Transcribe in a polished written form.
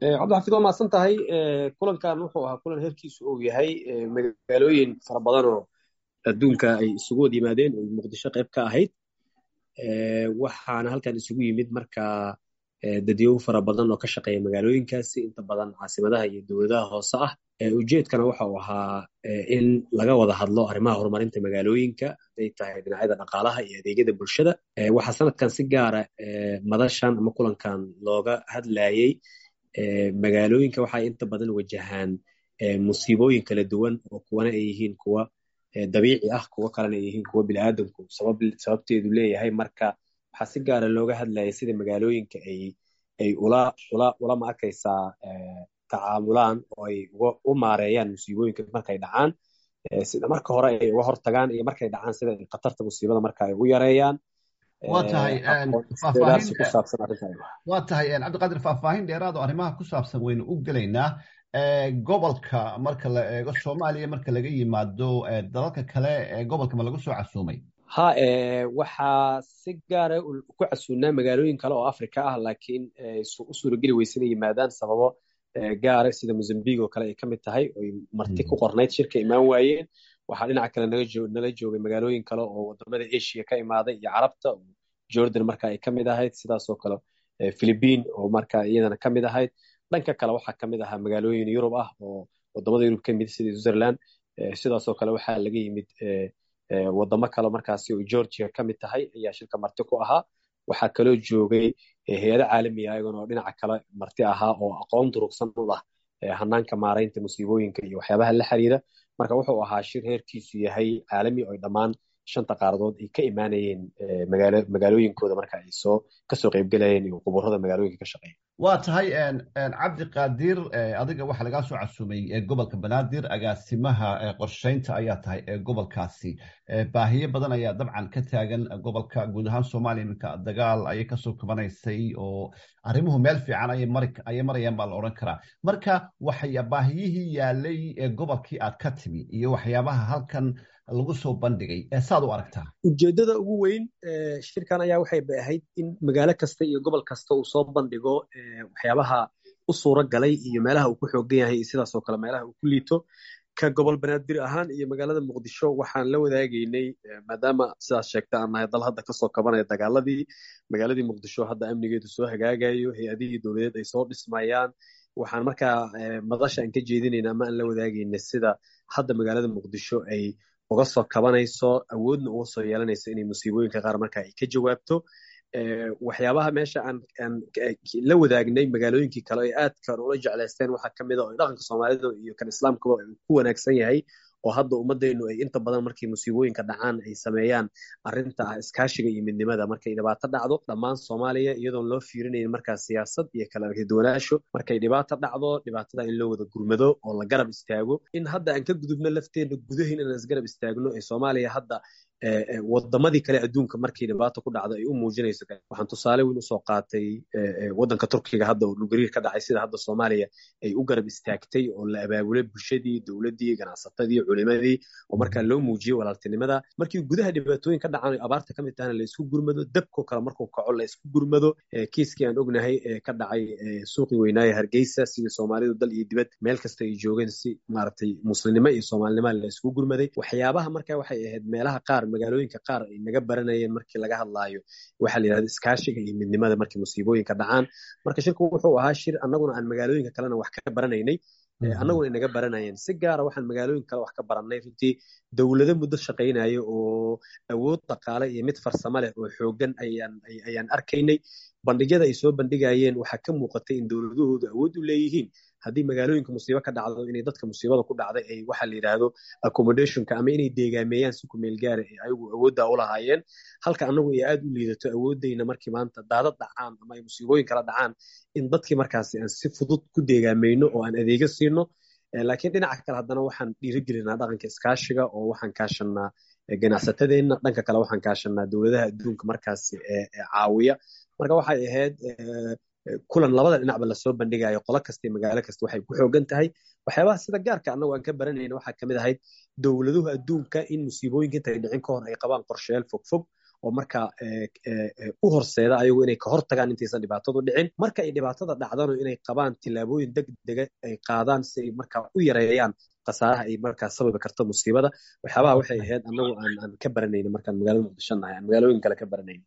Cabdixafiid, waa mahadsan tahay. Kulankan wuxuu ahaa kulan heerkiisu uu yahay magaalooyin fara badan oo adduunka ay isugu wada yimaadeen oo Muqdisho qayb ka ahayd. Waxaana halkan isugu yimid marka dadyow fara badan oo ka shaqeeya magaalooyinkaasi, inta badan caasimadaha iyo dowladaha hoose ah. Ujeedkana waxa uu ahaa in laga wada hadlo arrimaha horumarinta magaalooyinka, hadday tahay dhinacyada dhaqaalaha iyo adeegyada bulshada. Waxaa sanadkan si gaara madashan ama kulankan looga hadlayey magaalooyinka waxay inta badan wajahaan musiibooyin kala duwan, oo kuwana ay yihiin kuwa dabiici ah, kuwo kalena ay yihiin kuwa biniaadamku sababteedu leeyahay. Marka waxaa si gaara looga hadlayay sida magaalooyinka ay ula ma arkaysaa tacaamulaan oo ay u maareeyaan musiibooyinka markay dhacaan, sida marka hore ay uga hortagaan iyo markay dhacaan sida ay khatarta musiibada marka ay ugu yareeyaan. Waa tahay. Faahfaahin ku saabsan arrinta. Waa tahay, Cabdiqaadir, faahfaahin dheeraad oo arrimaha ku saabsan waynu u gelaynaa. Gobolka marka la eego Soomaaliya, marka laga yimaado dalalka kale ee gobolka, ma lagu soo casuumay? Ha, waxaa si gaara ku casuumnaa magaalooyin kale oo Africa ah, laakiin u suurageli weyse inay yimaadaan sababo gaara, sida Mozambique oo kale ay ka mid tahay oy marti ku qornayd, shirka imaan waayeen. Waxaa dhinaca kale nala joogay magaalooyin kale oo wadamada Asia ka imaaday iyo Carabta, Jordan marka ay ka mid ahayd, sidaasoo kale Philippine oo marka iyadana ka mid ahayd. Dhanka kale waxaa ka mid ahaa magaalooyin Yurub ah oo wadamada Yurub ka mid, sida Switzerland. Sidaasoo kale waxaa laga yimid wadamo kale markaasi oo Georgia ka mid tahay ayaa shirka marti ku ahaa. Waxaa kaloo joogay hay-ado caalami ah ayagana oo dhinaca kale marti ahaa oo aqoon durugsan u lah hanaanka maaraynta musiibooyinka iyo waxyaabaha la xiriira. Marka wuxuu ahaa shir heerkiisu yahay caalami oo dhammaan shanta qaaradood ay ka imaanayeen magaalooyinkooda marka ay soo kasoo qaybgelayeen iyo quburada magaalooyinka ka shaqeeya. Waa tahay, Cabdiqaadir, adiga waxaa lagaa soo casuumay gobolka Banaadir, agaasimaha qorsheynta ayaa tahay ee gobolkaasi. Baahiyo badan ayaa dabcan ka taagan gobolka, guud ahaan Soomaaliya iminka dagaal ayay kasoo kabanaysay oo arrimuhu meel fiican ayay marayaan baa la odhan karaa. Marka waxay baahiyihii yaalay ee gobolkii aad ka timi iyo waxyaabaha halkan lagu soo bandhigay saad u aragtaa? Ujeeddada ugu weyn shirkan ayaa waxay ba ahayd in magaalo kasta iyo gobol kasta uu soo bandhigo waxyaabaha u suura galay iyo meelaha uu ku xoogan yahay iyo sidaasoo kale meelaha uu ku liito. Ka gobol Banaadir ahaan iyo magaalada Muqdisho waxaan la wadaagaynay, maadaama sidaas sheegta aan nahay dal hadda kasoo kabanaya dagaaladii, magaaladii Muqdisho hadda amnigeedu soo hagaagayo, hay-adihii dowladeed ay soo dhismayaan, waxaan markaa madasha aan ka jeedinayna ama aan la wadaagaynay sida hadda magaalada Muqdisho ay uga soo kabanayso, awoodna uga soo yeelanayso inay musiibooyinka qaar marka ay ka jawaabto. Waxyaabaha meesha aan la wadaagnay magaalooyinkii kale ay aadka ula jeclaysteen waxaa ka mid a oo dhaqanka Soomaalida iyo kan Islaamkuba ku wanaagsan yahay, oo hadda ummadaynu ay inta badan markay musiibooyinka dhacaan ay sameeyaan arrinta ah iskaashiga iyo midnimada. Markay dhibaato dhacdo, dhammaan Soomaaliya, iyadoon loo fiirinayn markaa siyaasad iyo kala arkiduwanaasho, markay dhibaato dhacdo dhibaatada in loo wada gurmado oo la garab istaago. In hadda aan ka gudubno lafteena gudahin inaan isgarab istaagno ee Soomaaliya hadda wadamadii kale adduunka markii dhibaato ku dhacdo ay u muujinayso. Waxaan tusaale weyn usoo qaatay waddanka Turkiga hadda oo dhulgariir ka dhacay, sida hadda Soomaaliya ay u garab istaagtay oo la abaabulay bulshadii, dowladdii, ganacsatadii, culimadii, oo markaa loo muujiyey walaaltinimada. Markii gudaha dhibaatooyin ka dhacaan, abaarta ka mid tahana, la isku gurmado, dabkoo kale markuu kaco la isku gurmado. Kiiskii aan ognahay ee ka dhacay suuqii weynaaye Hargeysa, sidii Soomaalidu dal iyo dibad meel kasta ay joogeen si maaragtay muslimnimo iyo Soomaalinimo la isku gurmaday. Waxyaabaha marka waxay ahayd meelaha qaar, magaalooyinka qaar ay naga baranayeen markii laga hadlaayo waxaa la yidhahda iskaashiga iyo midnimada markii musiibooyinka dhacaan. Marka shirku wuxuu ahaa shir annaguna aan magaalooyinka kalena wax ka baranaynay, annaguna ay naga baranayeen. Si gaara waxaan magaalooyin kale wax ka barannay runtii dowlado muddo shaqaynaya oo awood dhaqaale iyo mid farsamo leh oo xooggan ayaan arkaynay. Bandhigyada ay soo bandhigayeen waxaa ka muuqatay in dowladahoodu awood u leeyihiin haddii magaalooyinka musiibo ka dhacdo inay dadka musiibada ku dhacday ay waxa la yidhaahdo accommodationka ama inay deegaameeyaan si ku meel gaara ee ayagu awooddaa u lahaayeen, halka annagu ay aad u liidato awooddayna markii maanta daadad dhacaan ama ay musiibooyin kala dhacaan in dadkii markaasi aan si fudud ku deegaameyno oo aan adeegyo siino. Laakiin dhinaca kale haddana waxaan dhiirigelinaa dhaqanka iskaashiga oo waxaan kaashanaa ganacsatadeenna, dhanka kale waxaan kaashanaa dowladaha adduunka markaasi ee caawiya. Marka waxay ahayd kulan labada dhinacba lasoo bandhigayo, qolo kasta iyo magaalo kasta waxay ku xoogan tahay. Waxyaabaha sida gaarka annagu aan ka baranayna waxaa kamid ahayd dowladuhu adduunka in musiibooyinka intay dhicin ka hor ay qabaan qorshayaal fogfog oo markaa u horseeda ayagu inay ka hor tagaan intaysan dhibaatadu dhicin. Marka ay dhibaatada dhacdano inay qabaan tillaabooyin degdega ay qaadaan si ay markaa u yareeyaan khasaaraha ay markaa sababi karto musiibada. Waxyaabaha waxay ahayd annagu aan ka baranayna markaan magaalada Muqdisho nahay, aan magaalooyin kale ka baranayna.